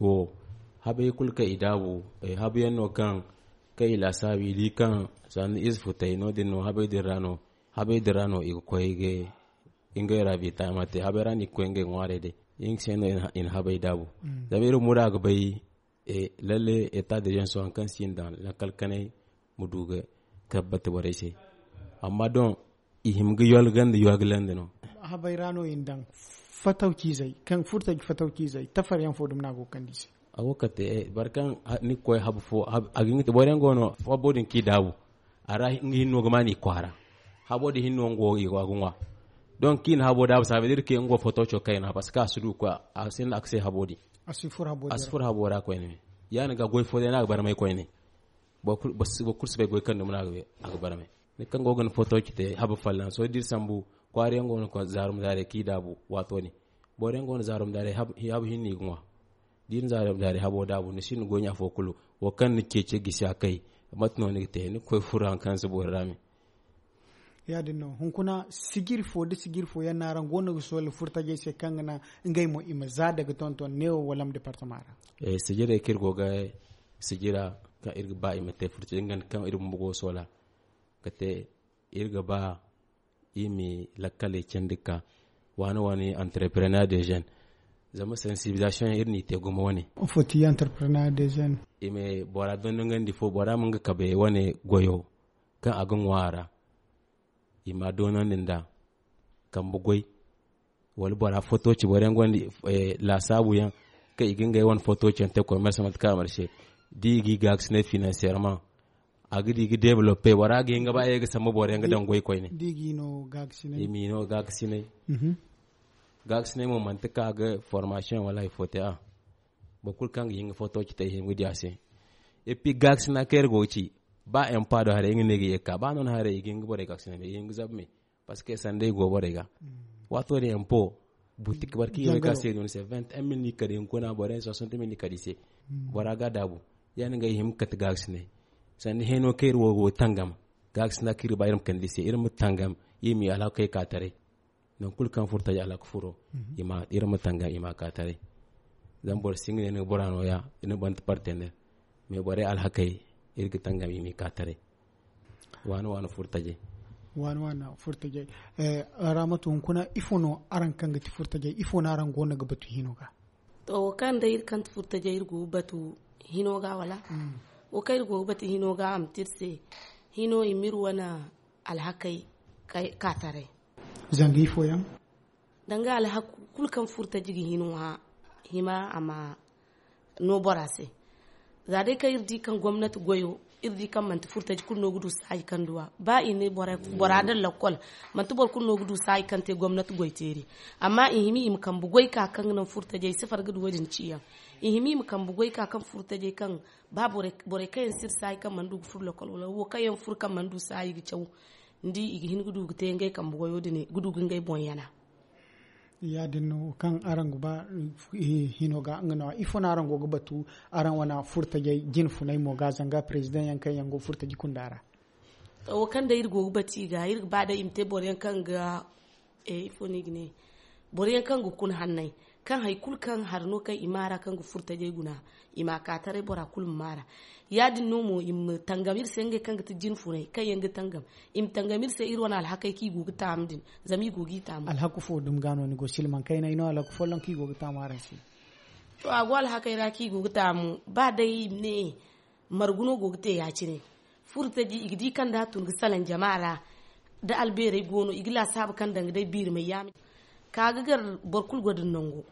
wo habey kulu kaŋ i daabu habu yaŋ no kaŋ kaŋ i laasaabu i di kaŋ sanni ize futay no- din no habey din ra no habey din ra no i ga koy ga ngey ra bita ma te habey ra no i ga koy ngey ŋwaarey day. Nga se no i na habey daabu zama iri mura ga bay lalle eta da janso hari kaŋ si i na daŋ lakkal kanay ma du ga tabbata borey se. Amma don i hima ga yolga nda yolga landa no. Habay ra no i na daŋ fatawciizey kaŋ furtaji fatawciizey tafar yaŋ fo dumi no a go ga kande i se. A go ga kate boro kaŋ ni ga koy habu fo a ga hin ga te boro yaŋ go no habo din kaŋ i daabu a ra nga hinno ga ma no i kwaara. Habo din hinno nga go i go a ga ŋwa. Don kaŋ i na habo daabu saabe da iri ke nga go fotoco kayna parce que a si du ga koy a sinda a ga se habo din. A si furo habo ra koyne me ya- din ga goy fo day no a ga barmay koyne. Boro kulu si bay goy kaŋ dumi no a ga barmay. Ni kaŋ go ga ni foto ci te habu fallaŋ sohõ da iri sambu kwaara yaŋ go no zaarum zaaray kaŋ i daabu waato din. Boro yaŋ go no zaarum zaaray habu hinne i ga ŋwa. Da iri zaarum zaaray habo daabu ni sinda goy ɲa fo kulu. Wo kaŋ ni ceece gisi a kay mate no ni ga te ni ga koy furo hari kaŋ si boori ra me. Ya- din no hunkuna sijiri fo da sijiri fo yaŋ no araŋ go no ga soola furtajey se kaŋ ga naŋ ngey mo i ma za daga tonton neewo walam departement ra? Sijirey kaŋ iri go ga sijira kaŋ iri ga ba i ma te furtajey nga nda kaŋ iri bumbo go ga soola ga te iri ga ba i ma lakkaley candi ga ka waani waani entrepreneur de jeune. Zama sensibilisation yaŋ iri n'i te gumo wane. Fo ti entrepreneur de jeune? I ma bora dondongandi fo bora ma nga kabe wane goyo kaŋ a ga ŋwa a ra. I ma a doonandi nd'a kambe goy wala bora foto ci boro yaŋ gonda laasaabu yaŋ kaŋ i ga ngey wane foto ci yaŋ te commerce mate kaŋ a marse da i ga i gaakasinay financièrement a ga di ga développe bora ga hin ga ba ye ga sambu boro yaŋ ga daŋ goy koyne. I m'i no gaakasinay. Gaakasinay mo manti kaŋ a ga formation wala hari fo te a boro kulu kaŋ ga hin ga foto ci te i hima ga di a se. Et puis gaakasina kaŋ iri go ga ci ba empa do haray nga no ay ga ye ga ka ba no ni haray i ga hin ga borey gaakasina me i ga hin ga zabu me. Parce que sanda i go borey ga waato din empo butik barki yo ga se no ni se vingt un mil ni kadi hunkuna boro yaŋ soixante mil ni kadi se. Bora ga daabu ya- din ga i hima ga kate gaakasinay sanda heno kaŋ iri wo go tangam gaakasina kaŋ iri ba iri ma kande i se iri ma tangam iri ma i alhakey ka taray. Nangu kulu kaŋ furo taji alhaka furo iri ma tangam i ma ka taray. Zama boro si nga ne ni ga bora nooya ni ga banda partenaire mais borey alhakey iri ga tangam i m'i ka taray. Waani waani furo tajey. Waani waani furo tajey. Ramatu hunkuna ifo no araŋ kaŋ ga ti furo tajey ifo no araŋ go no ga batu hino ga? To wo kaŋ day iri kaŋ ti furo tajey iri go ga batu hino ga wala? Wo kaŋ iri go ga batu hino ga a ma ti iri se hino i ma iri wane alhakey ka taray. Zanga ifo yaŋ? Danga alhaku kulu kaŋ furo taji ga hin ŋwa hima a ma no bora se. Za day kaŋ iri di kaŋ gomnati goyo iri di kaŋ manti furo taji kulu no ga du saayi kaŋ duwa ba i ne bora daŋ lakkol manti boro kulu no ga du saayi kaŋ te gomnati goy teeri. Amma i hima i ma kambe goy ka kaŋ ga naŋ furo tajey sifar ga du wo- din ciyaŋ. I hima i ma kambe goy ka kaŋ furo tajey kaŋ ba borey kaŋ yaŋ si iri saayi kaŋ mana du ga furo lakkol wala wo kaŋ yaŋ furo kaŋ mana du saayi ga caw. Ni di i ga hin ga du ga te ngey kambe goyo din ga du ga ngey boŋ yana. Ya- din no kaŋ araŋ ga ba hino ga nga no ifo no araŋ go ga batu araŋ wane furtajey jine funey mo ga zanga president yaŋ kaŋ yaŋ go furtaji kunda ra. To wo kaŋ day iri go ga batu i ga iri ga ba day i ma te boro yaŋ kaŋ ga ifo no i ga ne boro yaŋ kaŋ ga kuna hanney kaŋ hari kulu kaŋ hari no kaŋ i ma a ra kaŋ ga furtajey guna i ma a ka taray bora kulu ma ma a ra. Ya- din no mo i ma tangam iri se ngey kaŋ ga ti jine funey kaŋ yaŋ ga tangam i ma tangam iri se iri wane alhakey kaŋ i go ga taamu din. Zama i go ga i taamu. Alhaku fo dumi ga no ni go silman kayna i no alhaku folloŋ kaŋ i go ga taamu araŋ se. To a go alhakey ra kaŋ i go ga taamu ba day i ma ne margu no go ga te ya- cine. Furtaji i ga di kaŋ da a tun ga salaŋ jama ra da albeerey go no i ga laasaabu kaŋ danga day biirimay yaamay ka ga gar boro kulu go din nango.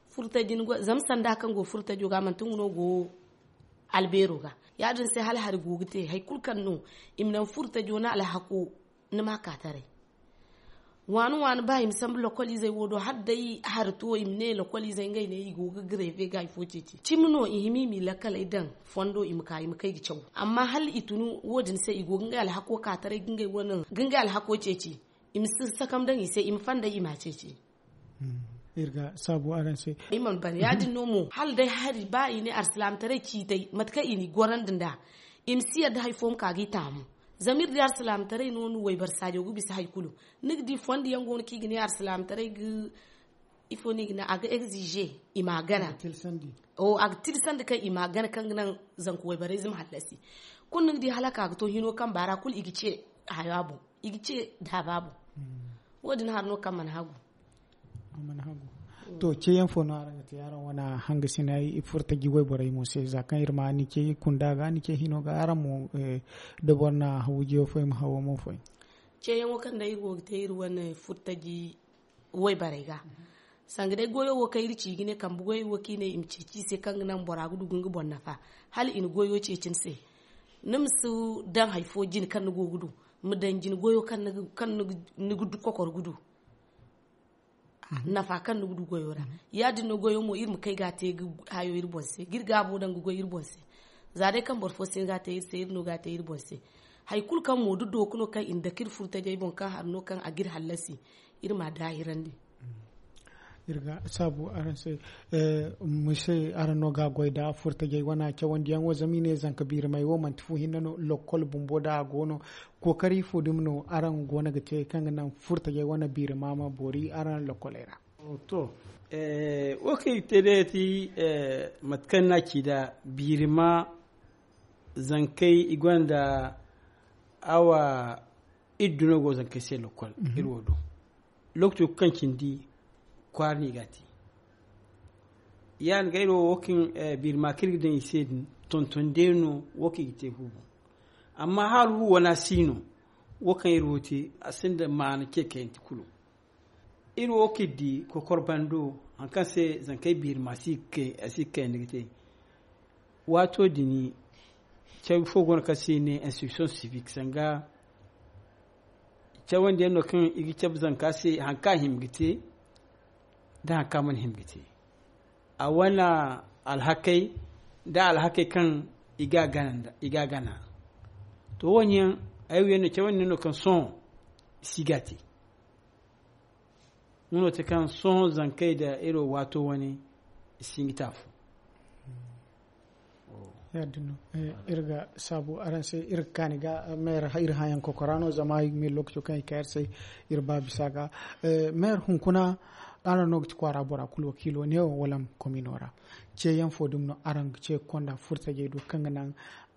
Furtaji ni go zama sanda kaŋ go furtajo ga manti nga no go albeero ga. Ya- din se hala hari go ga te hari kulu kaŋ no i ma naŋ furtajo ni alhako ni ma a ka taray. Waani waani ba i ma sambu lokoliizey wo do hala day hari to i ma ne lokoliizey ngey ne i go ga gareefe ga hari fo ceeci cimi no i hima i m'i lakkaley daŋ fondo i ma ka i ma kay ga caw. Amma hala i tun wo- din se i go ga ngey alhako ka taray ga ngey alhako ceeci. I ma si sakam daŋ i se i ma fanday i m'a ceeci. Iri ga saabu araŋ se. I mana ban ya- din no mo hala day hari ba i ne alsilaamataray ciitay mate kaŋ i n'i gorandi nd'a i ma si yadda hari fo ma ka ga i taamu. Zama iri di alsilaamataray no ni wayboro saajo ga bisa hari kulu. Ni ga di fondo yaŋ go no kaŋ i ga ne alsilaamataray ga ifo no i ga ne a ga egzije i m'a gana. A ga tilasandi kaŋ i m'a gana kaŋ ga naŋ zanka wayborey zama hallasi. Kulu ni ga di hala ka ga to hino kaŋ baara kulu i ga ce haya boŋ i ga ce daaba boŋ. Wo- din hari no kaŋ mana hagu. To ceeyaŋ fo no araŋ ga te araŋ wane hangasinay furtaji wayborey mo se za kaŋ iri ma ni ce kunda ga ni ce hino ga araŋ mo da boro na hawujiyo fo i ma hawo mo fo. Ceeyaŋo kaŋ day iri go ga te iri wane furtaji wayborey ga sanga day goyo wo kaŋ iri ci ga ne kambe goyo wo kaŋ i ne i ma ceeci i se kaŋ ga naŋ bora ga du ga nga boŋ nafa hala i na goyo ceeci ni se. Ni ma si daŋ hari fo jine kaŋ ni go ga du ma daŋ jine goyo kaŋ ni ga kokor ga du nafa kaŋ ni ga du goyo ra. Ya- din no goyo mo iri ma kay ga a te ga hayo iri boŋ se ga iri gaabo daŋ ga goy iri boŋ se. Za day kaŋ boro fo si hin ga a te iri se iri no ga a te iri boŋ se. Hari kulu kaŋ mo da dooku no kaŋ i na dake iri furtajey boŋ kaŋ hari no kaŋ a ga iri hallasi iri m'a daahirandi. Iri ga saabu araŋ se. Mise araŋ no ga a goy nda furtajey wane cawandiyaŋo zama i ne zanka biirimay wo manti fu hinne no lokkol bumbo nda a go no. Kookari fo dumi no araŋ go no ga te kaŋ ga naŋ furtajey wane biirima ma boori araŋ lokkoley ra? To wo kaŋ i ga te day ya ti mate kaŋ ni n'a ci nd'a biirima zankey i gonda awa iddu no go zankey se lokkol iri wo do. Lookaco kaŋ cindi kwaara no i ga a te. Ya- din ga iri wo wo kaŋ biirima kaŋ iri ga daŋ i se din tonton day no wo kaŋ i ga te fu boŋ. Amma hala fu wana si no wo kaŋ iri wo te a sinda maana ce kayante kulu. Iri wo kaŋ iri di kokor bando hari kaŋ se zankey biirima a si ga kayandi ga te. Waato din cabe fo go no kaŋ se i ne instruction civique sanga cawandiyaŋ no kaŋ i ga cabe zanka se hari kaŋ a hima ga te nda hari kaŋ a mana hima ga te. A wane alhakey nda alhakey kaŋ i ga a gana to wo- ne yaŋ ay wo yaŋ no cawandi no kaŋ sohõ i si ga a te. Nga no te kaŋ sohõ zankey nda iri wo waato wane i si hin ga te afo. Ya- din no iri ga saabu araŋ se iri ga kaani ga meer iri hããyaŋ kokora no zama ay ga miila lookaco kaŋ i ga ka iri se iri ba bisa ga. Meer hunkuna araŋ no ga ti kwaara bora kulu wakiilo neewo wala komino ra. Ceeyaŋ fo dumi no araŋ ga ce ga konda furtajey do kaŋ ga naŋ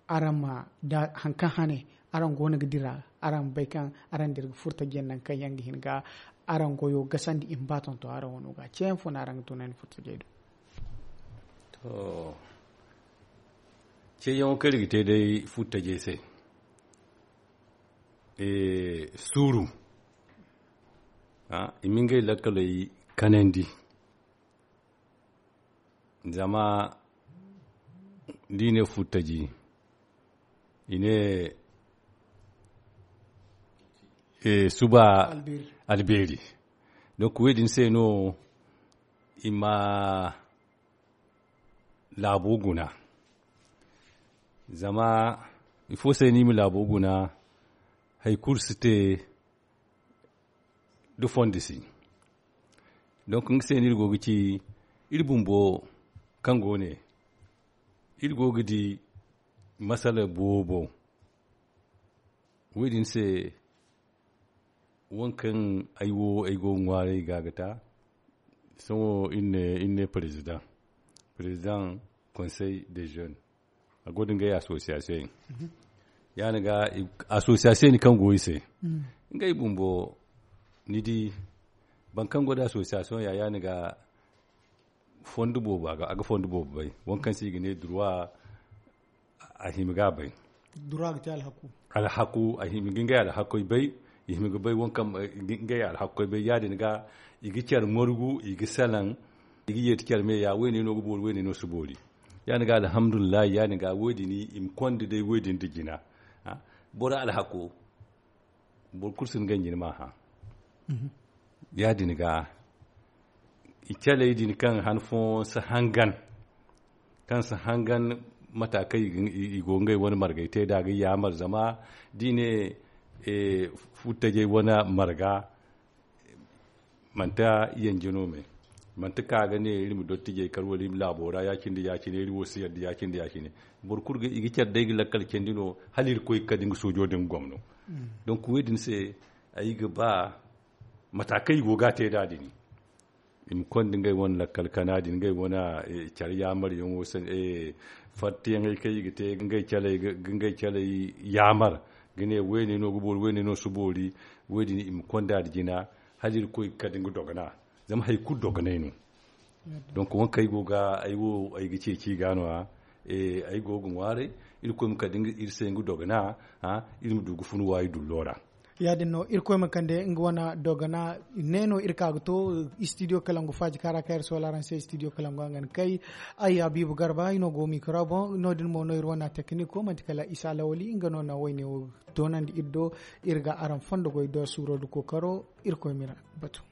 araŋ ma da hari kaŋ hane araŋ go no ga dira araŋ ma bay kaŋ araŋ dira ga furtajiyaŋ nangu kaŋ yaŋ ga hin ga araŋ goyo gasandi i ma ba tonton araŋ wano ga ceeyaŋ fo no araŋ ga tunandi furtajey do? To ceeyaŋo kaŋ iri ga te day furtajey se suuru i ma ngey lakkaley kanandi. Zama da i ne furtaji i ne suba albeeri. Donc wo- din se no i ma laabo guna. Zama ifo se no i ma laabo guna hari kulu si te da fondo si. Donc nga se no iri go ga ci iri bumbo kaŋ go ne iri go ga di masala boobo. Wo- din se waŋ kaŋ ay wo ay go ga ŋwaaray ga ga ta. Sohõ iri ne président, président conseil des jeunes, a go da ngey association yaŋ. Ya- din ga association kaŋ go i se, ngey bumbo ni di, boro kaŋ go da association ya- ya- din ga fondo boobo a ga fondo boobo bay. Waŋ kaŋ se i ga ne droit, a hima ga bay. Droit ga te alhaku. Alhaku a hima ga ngey alhakoy bay. I hima ga bay waŋ kaŋ ngey alhakoy bay ya- din ga i ga care margu i ga salaŋ, i ga yeeti care me ya wo- ne no ga boori wo- ne no si boori. Ya- din ga alhamdulillahi ya- din ga wo- din i ma konda day wo- din nda jina. Boro alhako boro kulu si ni ganji ni ma hã. Ya- din ga i caley din kaŋ han fooyaŋ si hangan, kaŋ si hangan mata kaŋ i go ngey wane margay te da ga yaamar zama da i ne futtajey wane marga. Manti yanje no me manti ka ga ne iri ma dottijey kar wala iri ma laabo ra ya- cine da ya- cine iri wo si yadda ya- cine da ya- cine. Boro kulu ga i ga care day ga lakkal candi no hala iri koy ga kade nga soojo da nga gomno. Donc wo- din se ay ga ba mata kaŋ i go ga a te nd'a din i ma konda ngey wane lakkal kana din ngey wane care yaamaryaŋo, fartiyaŋey kaŋ i ga te ga ngey caley yaamar ga ne woyne no ga boori woyne no si boori. Wo- din i ma konda nda jina hala iri koy ga kade nga dogana. Zama hari kulu dogonay no. Donc waŋ kaŋ ay go ga ay wo ay ga ceeci i ga no- ya ay go ga ŋwaaray iri koy ma kande iri se nga dogana. Iri ma du ga fun waayi dullo ra. Ya- din no irkoy ma kande nga wane dogana. Ne no iri ka ga to studio kalangu faaji kaara kaŋ iri sola araŋ se studio kalangu a ga ni kay. Ay habiibu garba i no go mikro boŋ no- din mo no iri wane tekiniko manti kala isa lawali nga no na wayne wo doonandi iri do. Iri ga araŋ fondo goy do suuro nda kookaro. Irkoy ma iri batu.